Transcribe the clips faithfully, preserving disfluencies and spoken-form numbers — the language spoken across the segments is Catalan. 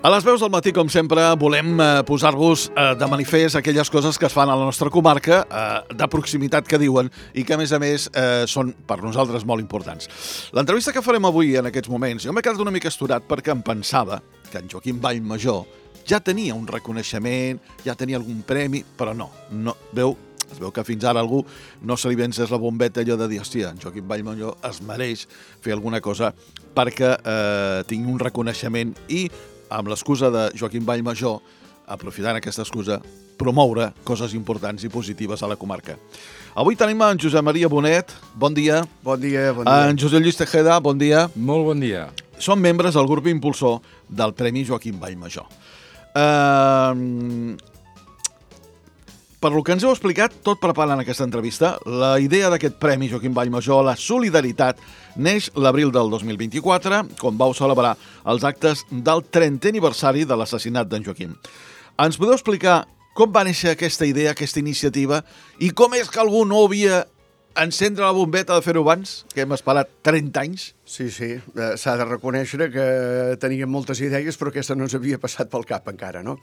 A les veus del matí, com sempre, volem eh, posar-vos eh, de manifest aquelles coses que es fan a la nostra comarca, eh, de proximitat que diuen, i que, a més a més, eh, són per nosaltres molt importants. L'entrevista que farem avui, en aquests moments, jo m'he quedat una mica esturat perquè em pensava que en Joaquim Vallmajor ja tenia un reconeixement, ja tenia algun premi, però no. no veu, es veu que fins ara algú no se li vences la bombeta allò de dir, hòstia, en Joaquim Vallmajor es mereix fer alguna cosa perquè eh, tingui un reconeixement i amb l'excusa de Joaquim Vallmajor, aprofitant aquesta excusa, promoure coses importants i positives a la comarca. Avui tenim en Josep Maria Bonet, bon dia. Bon dia, bon dia. En Josep Lluís Tejeda, bon dia. Molt bon dia. Són membres del grup impulsor del Premi Joaquim Vallmajor. Uh, per lo que ens heu explicat, tot preparant aquesta entrevista, la idea d'aquest Premi Joaquim Vallmajor, la solidaritat, neix l'abril del dos mil vint-i-quatre, quan vau celebrar els actes del trentè aniversari de l'assassinat d'en Joaquim. Ens podeu explicar com va néixer aquesta idea, aquesta iniciativa, i com és que algú no havia encendre la bombeta de fer-ho abans, que hem esperat trenta anys? Sí, sí, eh, s'ha de reconèixer que teníem moltes idees, però aquesta no ens havia passat pel cap encara, no?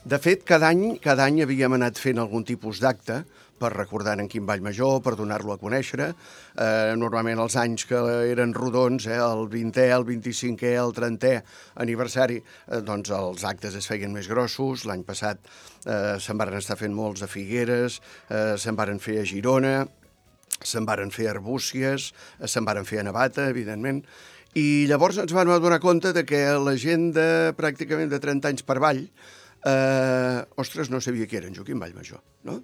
De fet, cada any, cada any havíem anat fent algun tipus d'acte per recordar en Quim Vallmajor, per donar-lo a conèixer. Eh, normalment els anys que eren rodons, eh, el vintè, el vint-i-cinquè, el trentè aniversari, eh, doncs els actes es feien més grossos. L'any passat eh, se'n varen estar fent molts a Figueres, eh, se'n varen fer a Girona, se'n varen fer a Arbúcies, se'n varen fer a Navata, evidentment, i llavors ens vam adonar compte de que la gent de pràcticament de trenta anys per avall, eh, ostres, no sabia qui era en Joaquim Vallmajor, no?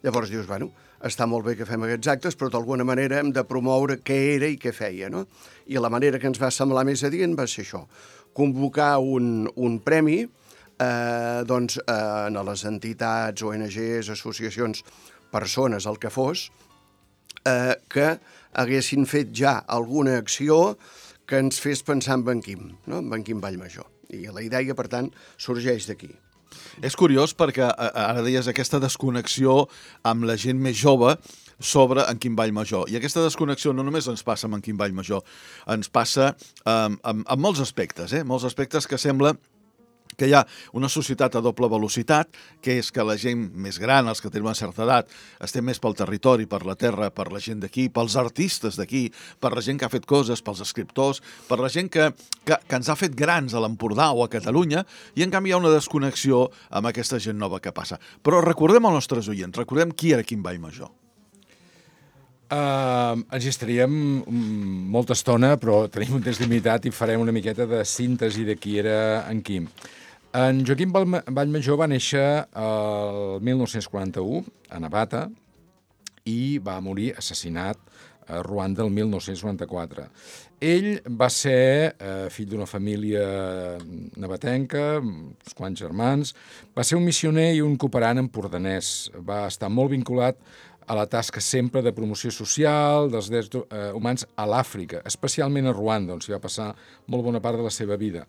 Llavors dius, bueno, està molt bé que fem aquests actes, però d'alguna manera hem de promoure què era i què feia, no? I la manera que ens va semblar més adient va ser això, convocar un, un premi eh, doncs, eh, a les entitats, O N Ges, associacions, persones, el que fos, eh, que haguessin fet ja alguna acció que ens fes pensar en en Quim, no? En en Quim Vallmajor. I la idea, per tant, sorgeix d'aquí. És curiós perquè ara deies aquesta desconnexió amb la gent més jove sobre en Quim Vallmajor. I aquesta desconnexió no només ens passa amb en Quim Vallmajor, ens passa amb, amb, amb molts aspectes, eh? molts aspectes que sembla que hi ha una societat a doble velocitat, que és que la gent més gran, els que tenen una certa edat, estem més pel territori, per la terra, per la gent d'aquí, pels artistes d'aquí, per la gent que ha fet coses, pels escriptors, per la gent que, que, que ens ha fet grans a l'Empordà o a Catalunya, i en canvi hi ha una desconnexió amb aquesta gent nova que passa. Però recordem als nostres oients, recordem qui era Quim Vallmajor. Uh, ens hi estaríem molta estona, però tenim un temps limitat i farem una miqueta de síntesi de qui era en Quim. En Joaquim Vallmajor va néixer el mil nou-cents quaranta-u a Navata i va morir assassinat a Ruanda el mil nou-cents noranta-quatre. Ell va ser eh, fill d'una família navatenca, uns quants germans, va ser un missioner i un cooperant empordanès. Va estar molt vinculat a la tasca sempre de promoció social dels drets eh, humans a l'Àfrica, especialment a Ruanda, on s'hi va passar molt bona part de la seva vida.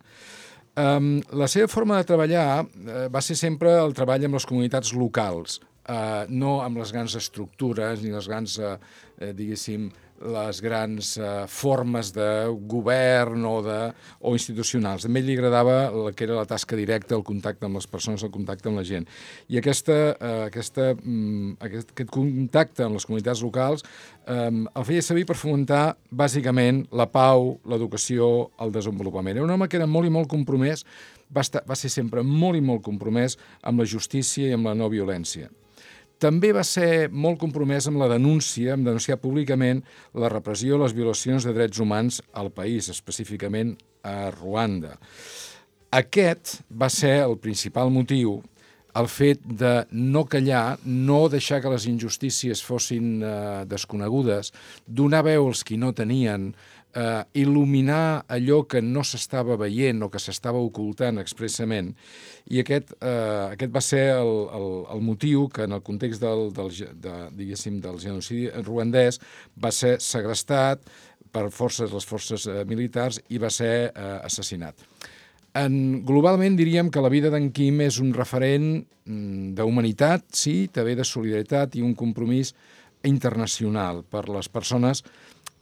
Um, la seva forma de treballar uh, va ser sempre el treball amb les comunitats locals, uh, no amb les grans estructures ni les grans, uh, uh, diguéssim, les grans uh, formes de govern o, de, o institucionals. A ell li agradava el que era la tasca directa, el contacte amb les persones, el contacte amb la gent. I aquesta, uh, aquesta, um, aquest, aquest contacte amb les comunitats locals um, el feia servir per fomentar, bàsicament, la pau, l'educació, el desenvolupament. Era un home que era molt i molt compromès, va, estar, va ser sempre molt i molt compromès amb la justícia i amb la no violència. També va ser molt compromès amb la denúncia, amb denunciar públicament la repressió i les violacions de drets humans al país, específicament a Ruanda. Aquest va ser el principal motiu, el fet de no callar, no deixar que les injustícies fossin eh, desconegudes, donar veu als qui no tenien, eh, il·luminar allò que no s'estava veient o que s'estava ocultant expressament. I aquest, eh, aquest va ser el, el, el motiu que en el context del, del, de, diguéssim, del genocidi ruandès va ser segrestat per forces, les forces eh, militars i va ser eh, assassinat. En, globalment diríem que la vida d'en Quim és un referent d'humanitat, sí, també de solidaritat i un compromís internacional per les persones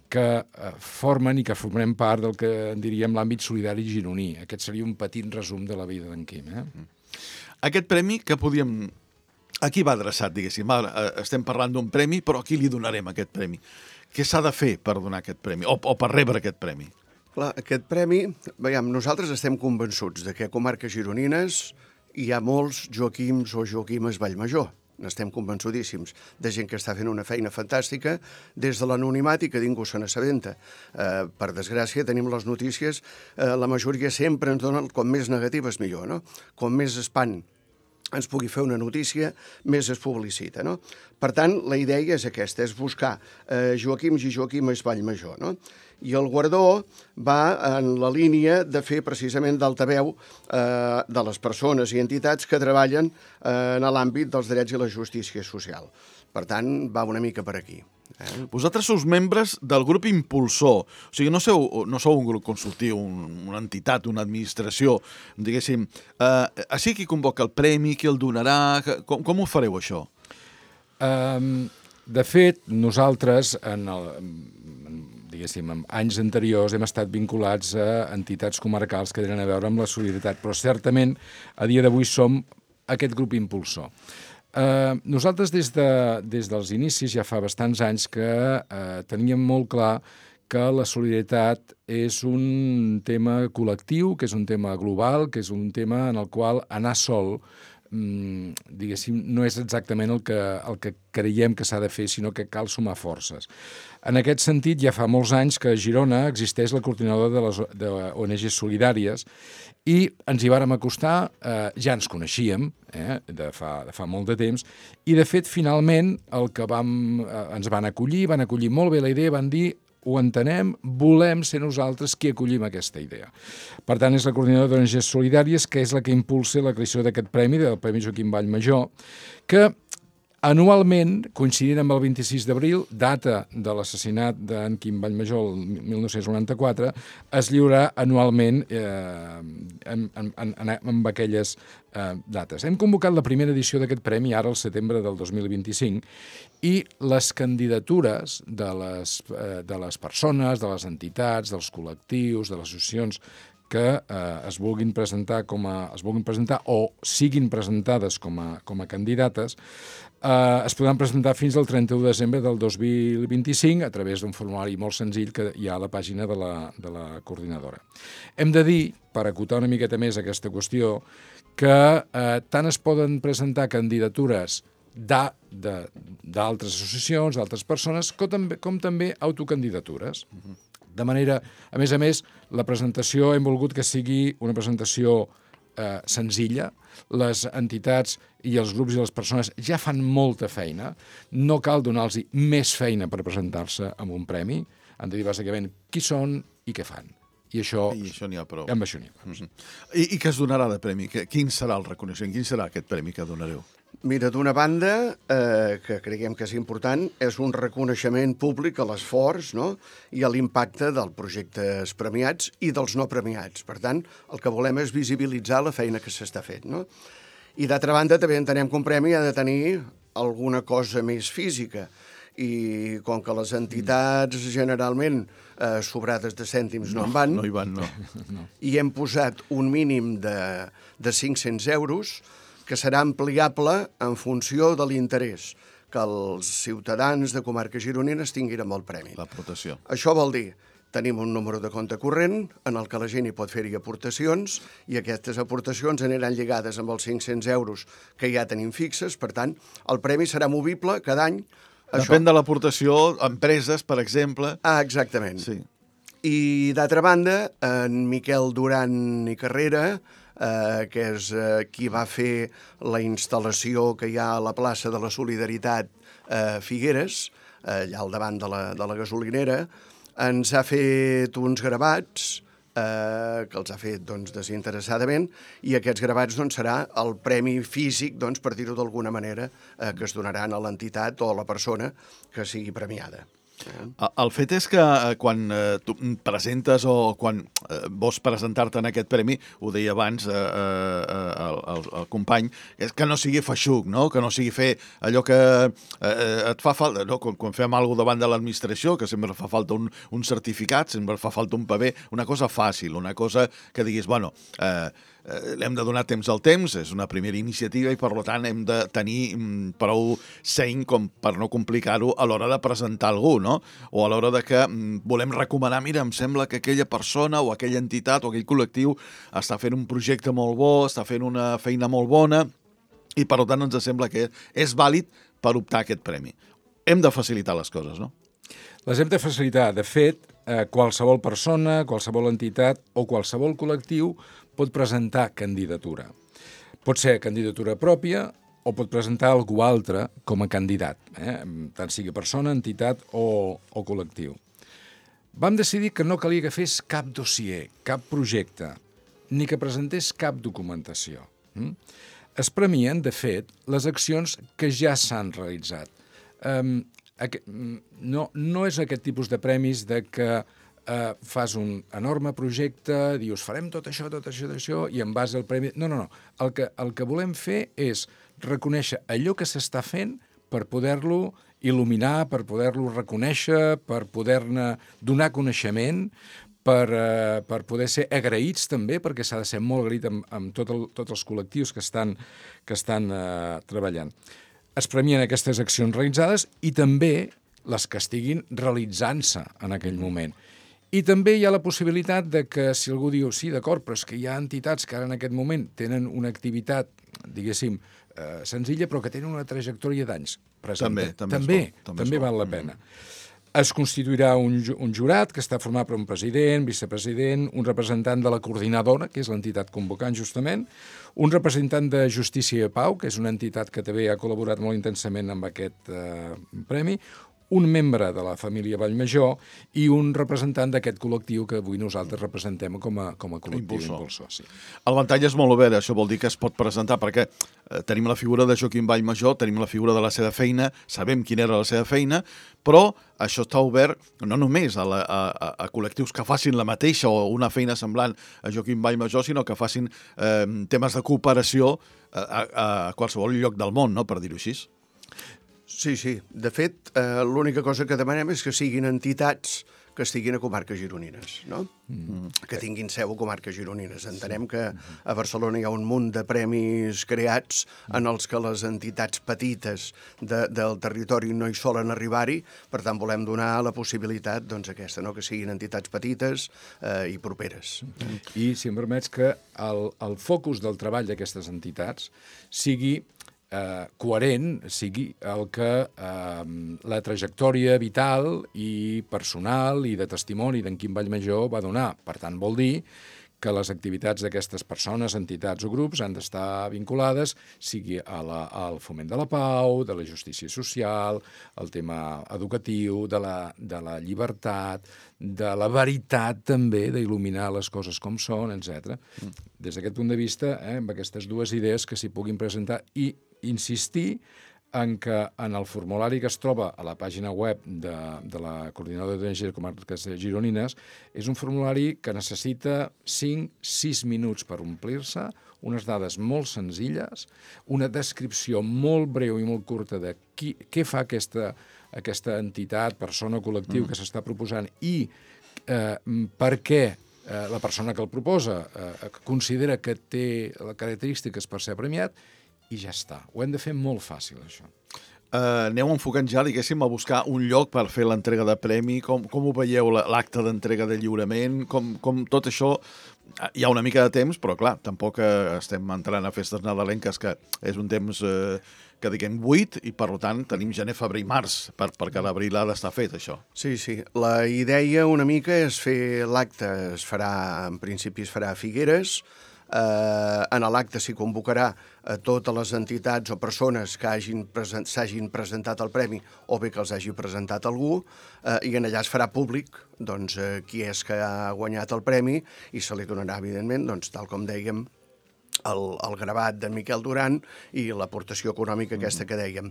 que eh, formen i que formem part del que en diríem l'àmbit solidari gironí. Aquest seria un petit resum de la vida d'en Quim. Eh? Aquest premi que podíem... A qui va adreçat, diguéssim? Ara, estem parlant d'un premi, però a qui li donarem aquest premi? Què s'ha de fer per donar aquest premi o, o per rebre aquest premi? Clar, aquest premi, veiem, nosaltres estem convençuts de que a comarques gironines hi ha molts Joaquims o Joaquimes Vallmajor. N'estem convençudíssims, de gent que està fent una feina fantàstica des de l'anonimat i que ningú se n'assabenta. Eh, per desgràcia, tenim les notícies, eh, la majoria sempre ens donen com més negatives millor, no? Com més espant ens pugui fer una notícia, més es publicita, no? Per tant, la idea és aquesta, és buscar eh, Joaquims i Joaquimes Vallmajor, no? I el guardó va en la línia de fer precisament d'altaveu eh, de les persones i entitats que treballen eh, en l'àmbit dels drets i la justícia social. Per tant, va una mica per aquí. Eh? Vosaltres sou membres del grup impulsor, o sigui, no sou, no sou un grup consultiu, un, una entitat, una administració, diguéssim. Eh, així qui convoca el premi, qui el donarà, com, com ho fareu, això? Um, de fet, nosaltres, en el, en, diguéssim, en anys anteriors hem estat vinculats a entitats comarcals que tenen a veure amb la solidaritat, però certament a dia d'avui som aquest grup impulsor. Uh, nosaltres des, de, des dels inicis ja fa bastants anys que uh, teníem molt clar que la solidaritat és un tema col·lectiu, que és un tema global, que és un tema en el qual anar sol, mm, diguéssim, no és exactament el que, el que creiem que s'ha de fer, sinó que cal sumar forces. En aquest sentit, ja fa molts anys que a Girona existeix la coordinadora de les de O N Ges solidàries i ens hi vàrem acostar, eh, ja ens coneixíem, eh, de, fa, de fa molt de temps, i de fet, finalment, el que vam, eh, ens van acollir, van acollir molt bé la idea, van dir, ho entenem, volem ser nosaltres qui acollim aquesta idea. Per tant, és la coordinadora d'O N Ges solidàries, que és la que impulsa la creació d'aquest premi, del Premi Joaquim Vallmajor, que anualment, coincidint amb el vint-i-sis d'abril, data de l'assassinat d'en Quim Vallmajor el mil nou-cents noranta-quatre, es lliurarà anualment eh, en, en, en, en aquelles eh, dates. Hem convocat la primera edició d'aquest premi ara al setembre del dos mil vint-i-cinc i les candidatures de les, eh, de les persones, de les entitats, dels col·lectius, de les associacions que eh, es vulguin presentar com a, es vulguin presentar o siguin presentades com a, com a candidates, eh, es podran presentar fins al trenta-u de desembre del dos mil vint-i-cinc a través d'un formulari molt senzill que hi ha a la pàgina de la, de la coordinadora. Hem de dir, per acotar una miqueta més aquesta qüestió, que eh, tant es poden presentar candidatures d'altres associacions, d'altres persones, com també, com també autocandidatures. De manera, a més a més, la presentació hem volgut que sigui una presentació eh, senzilla. Les entitats i els grups i les persones ja fan molta feina. No cal donar-los més feina per presentar-se amb un premi. Han de dir bàsicament qui són i què fan. I això, I això n'hi ha prou. Amb això n'hi ha prou. Mm-hmm. I, I què es donarà de premi? Quin serà el reconeixement? Quin serà aquest premi que donareu? Mira, d'una banda, eh, que creiem que és important, és un reconeixement públic a l'esforç, no?, i a l'impacte dels projectes premiats i dels no premiats. Per tant, el que volem és visibilitzar la feina que s'està fent, no? I d'altra banda, també entenem que un premi ha de tenir alguna cosa més física. I com que les entitats generalment eh, sobrades de cèntims no, no en van, no hi van, no. no. I hem posat un mínim de, de cinc-cents euros que serà ampliable en funció de l'interès que els ciutadans de comarques gironines tinguin amb el premi. L'aportació. Això vol dir, tenim un número de compte corrent en el que la gent hi pot fer-hi aportacions i aquestes aportacions aniran lligades amb els cinc-cents euros que ja tenim fixes. Per tant, el premi serà movible cada any. Depèn Això... de l'aportació, empreses, per exemple. Ah, exactament. Sí. I, d'altra banda, en Miquel Duran i Carrera, eh, que és eh, qui va fer la instal·lació que hi ha a la plaça de la Solidaritat eh, Figueres, eh, allà al davant de la, de la gasolinera, ens ha fet uns gravats eh, que els ha fet doncs, desinteressadament, i aquests gravats doncs, serà el premi físic, doncs, per dir-ho d'alguna manera, eh, que es donaran a l'entitat o a la persona que sigui premiada. El fet és que quan tu presentes o quan vols presentar-te en aquest premi, ho deia abans eh, eh, el, el, el company, és que no sigui feixuc, no? Que no sigui fer allò que eh, et fa falta, no? quan, quan fem alguna cosa davant de l'administració, que sempre fa falta un, un certificat, sempre fa falta un paper, una cosa fàcil, una cosa que diguis, bueno, eh, hem de donar temps al temps, és una primera iniciativa i per tant hem de tenir prou seny com per no complicar-ho a l'hora de presentar algú, no? O a l'hora de que volem recomanar, mira, em sembla que aquella persona o aquella entitat o aquell col·lectiu està fent un projecte molt bo, està fent una feina molt bona i per tant ens sembla que és vàlid per optar a aquest premi. Hem de facilitar les coses, no? Les hem de facilitar. De fet, eh, qualsevol persona, qualsevol entitat o qualsevol col·lectiu pot presentar candidatura. Pot ser candidatura pròpia o pot presentar algú altre com a candidat, eh? tant sigui persona, entitat o, o col·lectiu. Vam decidir que no calia que fes cap dossier, cap projecte, ni que presentés cap documentació. Mm? Es premien, de fet, les accions que ja s'han realitzat. Um, aqu- no, no és aquest tipus de premis de que Uh, fas un enorme projecte, dius, farem tot això, tot això, tot això, i en base al premi... No, no, no. El que, el que volem fer és reconèixer allò que s'està fent per poder-lo il·luminar, per poder-lo reconèixer, per poder-ne donar coneixement, per, uh, per poder ser agraïts també, perquè s'ha de ser molt agraït amb, amb tot el, tots els col·lectius que estan, que estan uh, treballant. Es premien aquestes accions realitzades i també les que estiguin realitzant-se en aquell moment. I també hi ha la possibilitat de que si algú diu sí, d'acord, però és que hi ha entitats que ara en aquest moment tenen una activitat, diguéssim, eh, senzilla, però que tenen una trajectòria d'anys. També, també, també, també, també val la pena. Es constituirà un, un jurat que està format per un president, vicepresident, un representant de la coordinadora, que és l'entitat convocant justament, un representant de Justícia i Pau, que és una entitat que també ha col·laborat molt intensament amb aquest eh, premi, un membre de la família Vallmajor i un representant d'aquest col·lectiu que avui nosaltres representem com a, com a col·lectiu impulsor. impulsor sí. El ventall és molt obert, això vol dir que es pot presentar, perquè eh, tenim la figura de Joaquim Vallmajor, tenim la figura de la seva feina, sabem quina era la seva feina, però això està obert no només a, la, a, a col·lectius que facin la mateixa o una feina semblant a Joaquim Vallmajor, sinó que facin eh, temes de cooperació a, a, a qualsevol lloc del món, no?, per dir-ho així. Sí, sí. De fet, eh, l'única cosa que demanem és que siguin entitats que estiguin a comarques gironines, no? Mm. Que tinguin seu a comarques gironines. Entenem que a Barcelona hi ha un munt de premis creats en els que les entitats petites de, del territori no hi solen arribar-hi, per tant volem donar la possibilitat, doncs, aquesta, no? Que siguin entitats petites eh, i properes. I, si em permets, que el, el focus del treball d'aquestes entitats sigui Eh, coherent, sigui el que eh, la trajectòria vital i personal i de testimoni d'en Quim Vallmajor va donar. Per tant, vol dir que les activitats d'aquestes persones, entitats o grups han d'estar vinculades, sigui a la, al foment de la pau, de la justícia social, el tema educatiu, de la, de la llibertat, de la veritat també, d'il·luminar les coses com són, etcètera. Des d'aquest punt de vista, eh, amb aquestes dues idees que s'hi puguin presentar i insistir en que en el formulari que es troba a la pàgina web de, de la Coordinadora d'O N G de Comarques Gironines és un formulari que necessita cinc a sis minuts per omplir-se, unes dades molt senzilles, una descripció molt breu i molt curta de qui, què fa aquesta, aquesta entitat, persona o col·lectiu mm. que s'està proposant i eh, per què eh, la persona que el proposa eh, considera que té les característiques per ser premiat, i ja està. Ho hem de fer molt fàcil, això. Uh, aneu enfocant ja, diguéssim, a buscar un lloc per fer l'entrega de premi, com, com ho veieu, l'acte d'entrega de lliurament, com, com tot això... Hi ha una mica de temps, però clar, tampoc estem entrant a festes nadalenques, que és un temps eh, que diguem buit, i per tant tenim gener, febrer i març, per, perquè l'abril ha d'estar fet, això. Sí, sí. La idea una mica és fer l'acte, es farà, en principi es farà a Figueres. Eh, en l'acte s'hi convocarà a totes les entitats o persones que hagin present, s'hagin presentat al premi o bé que els hagi presentat algú, eh, i en allà es farà públic doncs, eh, qui és que ha guanyat el premi i se li donarà, evidentment, doncs, tal com dèiem, el, el gravat de Miquel Duran i l'aportació econòmica aquesta que dèiem.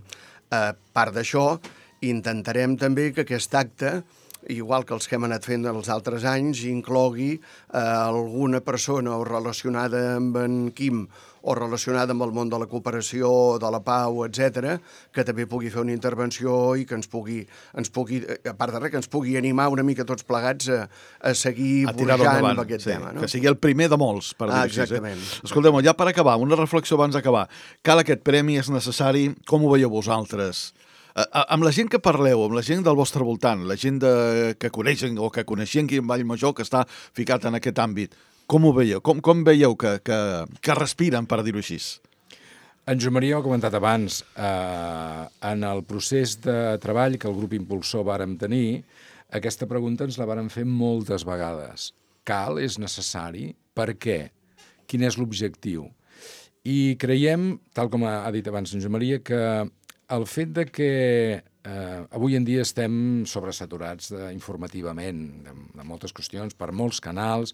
A part d'això, intentarem també que aquest acte, igual que els que hem anat fent els altres anys, inclogui eh, alguna persona o relacionada amb en Quim o relacionada amb el món de la cooperació, de la pau, etcètera, que també pugui fer una intervenció i que ens pugui, ens pugui a part de res, que ens pugui animar una mica tots plegats a, a seguir vorejant amb aquest sí, tema. No? Que sigui el primer de molts, per dir-ho Ah, així. exactament. Eh? Escolteu, ja per acabar, una reflexió abans d'acabar. Cal aquest premi, és necessari? Com ho veieu vosaltres? Amb la gent que parleu, amb la gent del vostre voltant, la gent de, que coneixen o que coneixien Quim Vallmajor, que està ficat en aquest àmbit, com ho veieu? Com, com veieu que, que, que respiren, per dir-ho així? En Joan Maria ho ha comentat abans, eh, en el procés de treball que el grup impulsor vàrem tenir, aquesta pregunta ens la vàrem fer moltes vegades. Cal? És necessari? Per què? Quin és l'objectiu? I creiem, tal com ha dit abans en Joan Maria, que el fet de que eh, avui en dia estem sobresaturats de, informativament de, de moltes qüestions, per molts canals,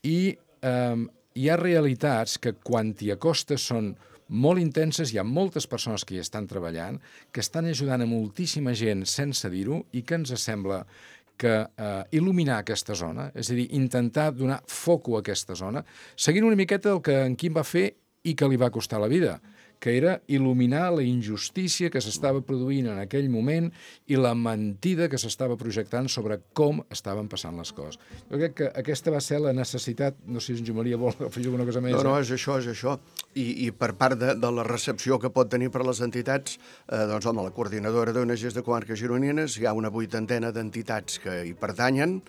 i eh, hi ha realitats que quan t'hi acostes són molt intenses, hi ha moltes persones que hi estan treballant, que estan ajudant a moltíssima gent sense dir-ho i que ens sembla que eh, il·luminar aquesta zona, és a dir, intentar donar foco a aquesta zona, seguint una miqueta del que en Quim va fer i que li va costar la vida, que era il·luminar la injustícia que s'estava produint en aquell moment i la mentida que s'estava projectant sobre com estaven passant les coses. Jo crec que aquesta va ser la necessitat, no sé si en Joan Maria vol afegir alguna cosa més. No, no, eh? és això, és això. I, i per part de, de la recepció que pot tenir per les entitats, eh, doncs, home, la coordinadora d'O N Ges de Comarques Gironines, hi ha una vuitantena d'entitats que hi pertanyen.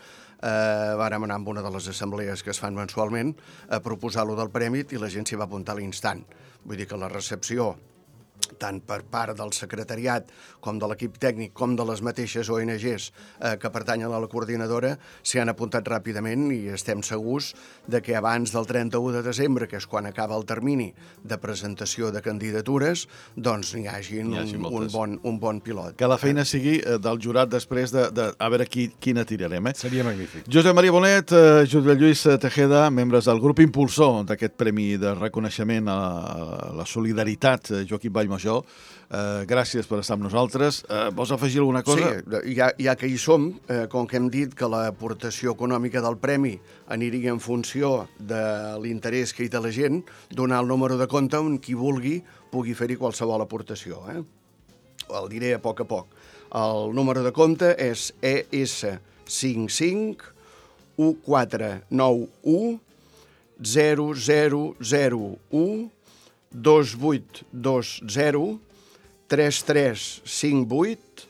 Eh, vàrem anar amb una de les assemblees que es fan mensualment a proposar-lo del premi i la gent s'hi va apuntar a l'instant. Vull dir que la recepció, tant per part del secretariat com de l'equip tècnic com de les mateixes O N Ges eh, que pertanyen a la coordinadora s'hi han apuntat ràpidament i estem segurs de que abans del trenta-u de desembre, que és quan acaba el termini de presentació de candidatures, doncs n'hi hagi, hagi un, un, bon, un bon pilot. Que la feina sigui eh, del jurat després de, de a veure qui, quina tirarem. Eh? Seria magnífic. Josep Maria Bonet, eh, Josep Lluís Tejeda, membres del grup impulsor d'aquest premi de reconeixement a la solidaritat eh, Joaquim Vallmajor. Eh, gràcies per estar amb nosaltres. Eh, vols afegir alguna cosa? Sí, ja, ja que hi som, eh, com que hem dit que l'aportació econòmica del premi aniria en funció de l'interès que hi té la gent, donar el número de compte on qui vulgui pugui fer-hi qualsevol aportació. Eh? El diré a poc a poc. El número de compte és E S cinc cinc u quatre nou u zero zero zero u dos vuit dos zero tres tres cinc vuit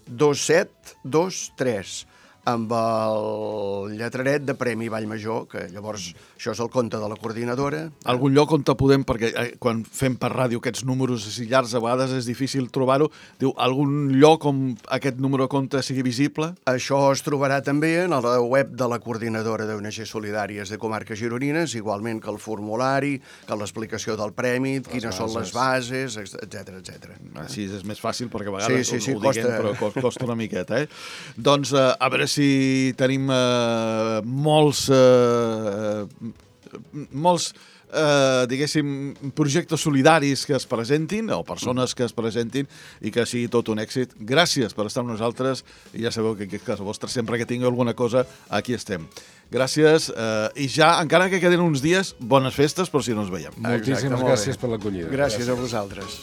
dos set dos tres amb el lletraret de Premi Vallmajor, que llavors això és el compte de la coordinadora. Algun lloc on te podem, perquè eh, quan fem per ràdio aquests números així llargs a vegades és difícil trobar-ho, diu, algun lloc on aquest número de compte sigui visible? Això es trobarà també en la web de la coordinadora d'O N Ges Solidàries de Comarques Gironines, igualment que el formulari, que l'explicació del premi, les quines bases. Són les bases, etcètera, etcètera. Així és més fàcil, perquè a vegades sí, sí, sí, ho, ho diguem, costa... però costa una miqueta. Eh? Doncs eh, a veure si tenim eh, molts... Eh, molts eh, diguéssim, projectes solidaris que es presentin, o persones que es presentin, i que sigui tot un èxit. Gràcies per estar amb nosaltres, i ja sabeu que en casa vostra, sempre que tingui alguna cosa, aquí estem. Gràcies, eh, i ja, encara que queden uns dies, bones festes, per si no ens veiem. Moltíssimes Exacte, gràcies per l'acollida. Gràcies, gràcies a vosaltres.